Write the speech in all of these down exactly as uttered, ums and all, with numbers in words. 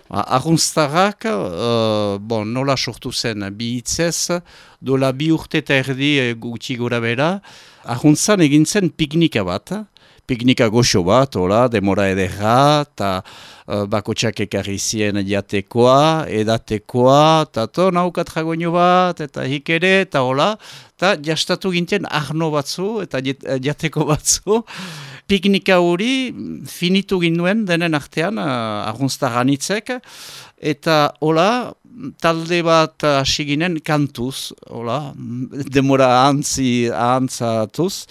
Arrunztarrak, uh, bon, nola sortu zen bi hitzez, dola bi urte eta erdi gutxi gora bera, arruntzan egin zen piknika bat, piknika goxo bat, hola, demora ederra, eta uh, bakotxak ekarri zien jatekoa, edatekoa, eta to, naukat jagoino bat, eta hik ere, eta hola, eta jastatu ginten arno batzu, eta jateko batzu, piknika hori finitu ginduen denen artean, uh, arrunztarranitzek, eta hola, talde bat hasi ginen kantuz, hola, demora ahantzi, ahantzatuz,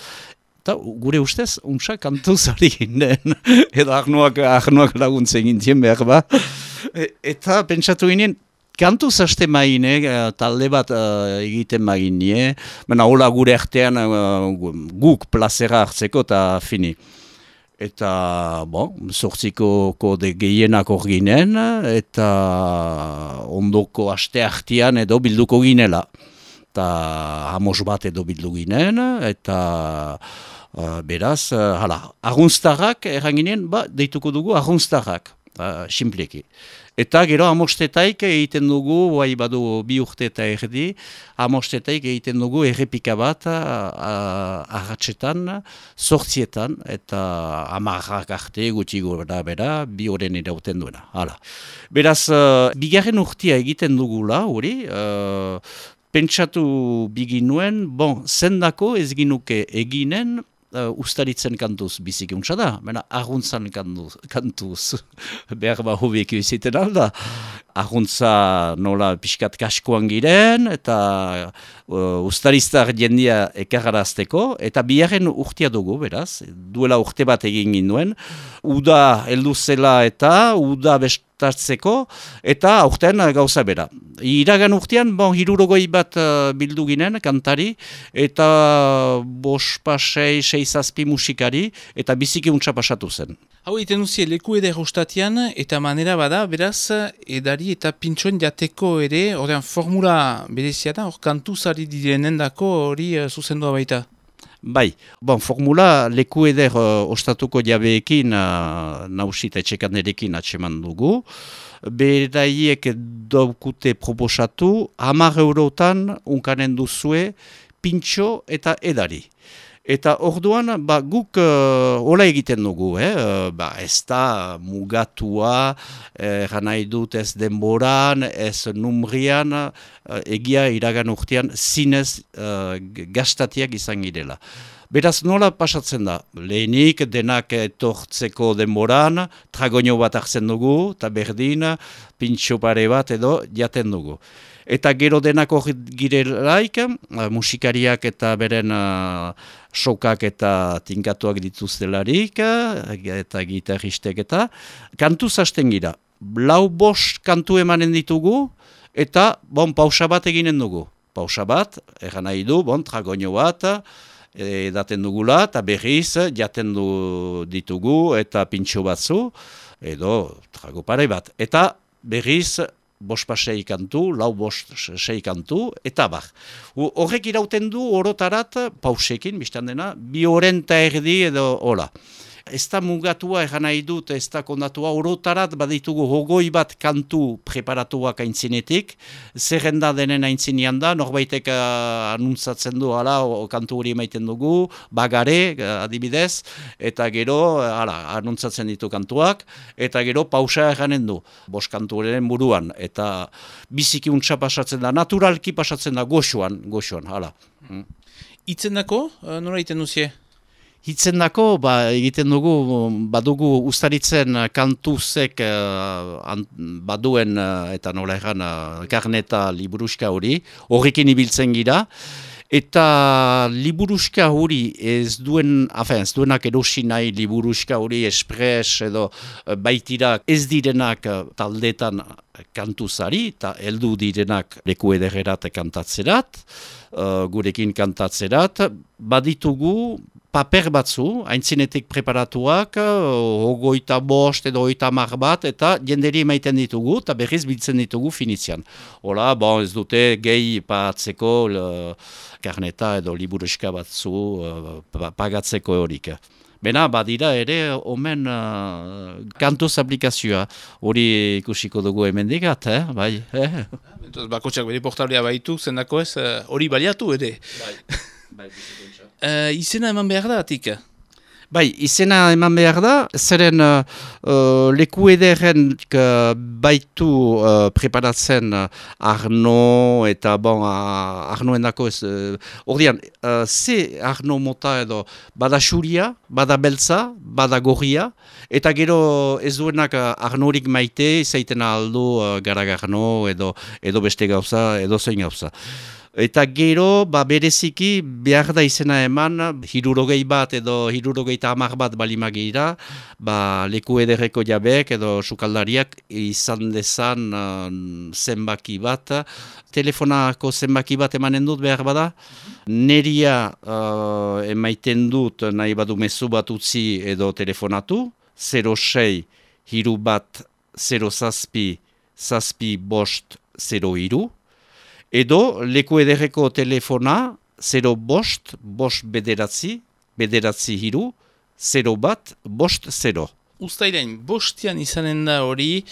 eta gure ustez, untsa kantuz ari ginen, edo arnoak, arnoak laguntzen gintien behar ba, e, eta pentsatu ginen, kantuz haste maine, talde bat uh, egiten maginie, baina hola gure artean uh, guk plazera hartzeko eta fini. Eta, bon, zortziko kode gehienak hor ginen, eta ondoko aste artean edo bilduko ginela. Eta hamos bat edo bildu ginen, eta uh, beraz, uh, hala, arrunztarrak, erran ginen, ba, deituko dugu arrunztarrak, uh, simpleki. Eta gero amostetaik egiten dugu, bai badu bi urte eta erdi, amostetaik egiten dugu errepika bat ahatsetan, sortzietan, eta amarrak arte gutxi gora bera, bi horren irauten duena. Hala. Beraz, uh, bigarren urtia egiten dugula, hori, uh, pentsatu biginuen, bon, zendako ez ginuke eginen, Uh, ustaritzen kantuz biziki untsa da, baina arruntzan kantuz, kantuz. Behar ba hobiek iziten alda. Arruntza nola pixkat kaskoan giren, eta uh, ustariztar jendia ekarrarazteko, eta biharren urtia dugu, beraz, duela urte bat egin ginduen, uda heldu zela eta uda bestatzeko, eta aurten gauza bera. Iragan urtean, bon, hirurogoi bat uh, bildu ginen, kantari, eta bos pasei, sei zazpi musikari, eta biziki untsa pasatu zen. Hau egiten duzie leku eder ostatian, eta manera bada, beraz, edari eta pintxoen jateko ere, ordean formula berezia da, hor kantuzari direnen dako hori uh, zuzendua baita. Bai, bon, formula leku eder uh, ostatuko jabeekin, uh, nausita etxekanderekin atseman dugu, beraiek daukute proposatu, hamar eurotan unkanen duzue pintxo eta edari. Eta orduan, ba, guk uh, hola egiten dugu, eh? uh, ba, ez da mugatua, eh, nahi dut ez denboran, ez numrian, uh, egia iragan urtean zinez uh, gastatiak izan girela. Beraz, nola pasatzen da? Lehenik denak etortzeko denboran, tragoño bat hartzen dugu, eta berdin, pintxo pare bat edo jaten dugu. Eta gero denak hori girelaik, musikariak eta beren uh, sokak eta tinkatuak dituztelarik, eta gitarristek eta, kantuz hasten gira. Lau bost kantu emanen ditugu, eta bon, pausa bat eginen dugu. Pausa bat, erran nahi du, bon, tragoño bat, edaten dugula, eta berriz jaten du ditugu, eta pintxo batzu, edo trago pare bat. Eta berriz, bost pasei kantu, lau bost sei kantu, eta bar. Horrek irauten du orotarat, pausekin, biztan dena, bi horren eta erdi edo hola. Ez da mugatua egan nahi dut, ez da kondatua, orotarat baditugu hogoi bat kantu preparatuak aintzinetik, zerrenda denen aintzinean da, norbaitek uh, anuntzatzen du, hala, o, kantu hori emaiten dugu, bagare, uh, adibidez, eta gero, hala, anuntzatzen ditu kantuak, eta gero pausa eganen du, bost kantu horren buruan, eta biziki untsa pasatzen da, naturalki pasatzen da, goxoan, goxoan, hala. Mm. Itzendako, uh, nola egiten duzie? Hitzen dako, ba, egiten dugu, badugu ustaritzen kantuzek uh, baduen uh, eta nola egan uh, karneta liburuska hori, horrekin ibiltzen gira, eta liburuska hori ez duen, afen, ez duenak erosi nahi liburuska hori espres edo uh, baitira ez direnak uh, taldetan kantuzari, eta heldu direnak leku edererat kantatzerat, uh, gurekin kantatzerat, baditugu paper batzu, aintzinetik preparatuak, hogeita bost edo hogeita hamar bat, eta jenderi emaiten ditugu, eta berriz biltzen ditugu finitzian. Hola, bon, ez dute gehi pagatzeko le, karneta edo liburuska batzu uh, pagatzeko horik. Bena, badira ere, omen uh, kantuz aplikazioa. Hori ikusiko dugu hemendikat, eh? Bai, eh? Bakotxak bere portablea baitu, zendako ez, hori uh, baliatu ere. Bai, bai, bizikontxa. Uh, izena eman behar da, atik? Bai, izena eman behar da, zeren uh, uh, leku ederren uh, baitu uh, preparatzen uh, Arno eta bon, uh, Arnoendako ez, ordean, uh, ze Arno mota edo bada xuria, bada beltza, bada gorria, eta gero ez duenak uh, Arnorik maite, zaiten aldo uh, garagarno edo, edo beste gauza, edo zein gauza. Eta gero, ba, bereziki, behar da izena eman, hirurogei bat edo hirurogeita hamar bat balimagira, ba, leku ederreko jabeek edo sukaldariak izan dezan uh, zenbaki bat. Telefonako zenbaki bat emanen dut behar bada. Neria uh, emaiten dut nahi badu mezu bat utzi edo telefonatu. zero sei, hiru bat, zero zazpi, zazpi bost, zero hiru. Edo, leku ederreko telefona, zero bost, bost bederatzi, bederatzi hiru, zero bat, bost zero. Uztailean, bostian izanen da hori,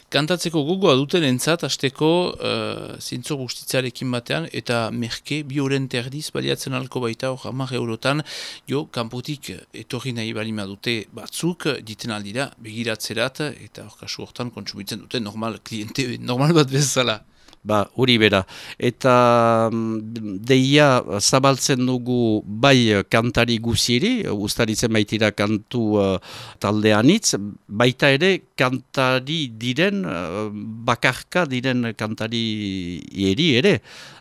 kantatzeko gogoa duten entzat, azteko uh, zintzo guztitzarekin batean, eta merke, bi horren terdiz baliatzen alko baita, hor hamar eurotan, jo, kanpotik etorri nahi balima dute batzuk, diten aldira, begiratzerat, eta hor kasu hortan kontsumitzen dute normal kliente, normal bat bezala. Ba, hori bera. Eta deia zabaltzen dugu bai kantari guzieri, ustaritzen baitira kantu uh, taldeanitz, baita ere kantari diren, uh, bakarka diren kantari eri ere.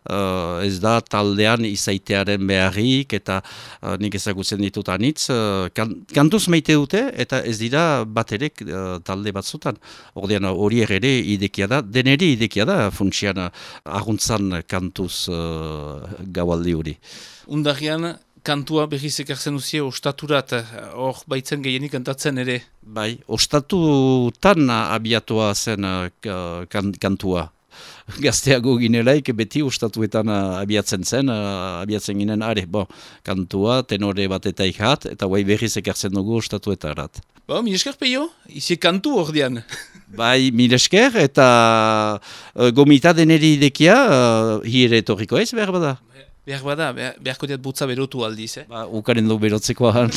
Uh, ez da taldean izaitearen beharrik, eta uh, nik ezagutzen ditut anitz, uh, kan, kantuz maite dute, eta ez dira bat ere uh, talde batzutan. Ordean hori ere idekia da, deneri idekia da funtsian arguntzan kantuz uh, gaualdi hori. Undarrian, kantua berriz ekartzen duzie ostaturat, hor baitzen gehienik kantatzen ere? Bai, ostatutan abiatua zen uh, kan, kantua. Gazteago ginelaik beti ostatuetan uh, abiatzen zen, uh, abiatzen ginen, are, bo, kantua, tenore bat eta ikat, eta guai berriz ekartzen dugu ostatuetarat. Ba, mil esker peio, izi kantu ordean. Bai, mil esker, eta uh, gomita deneri idekia, uh, hire etorriko ez, behar bada? Behar bada, beharko diat butza berotu aldiz, eh? Ba, ukaren du berotzekoa.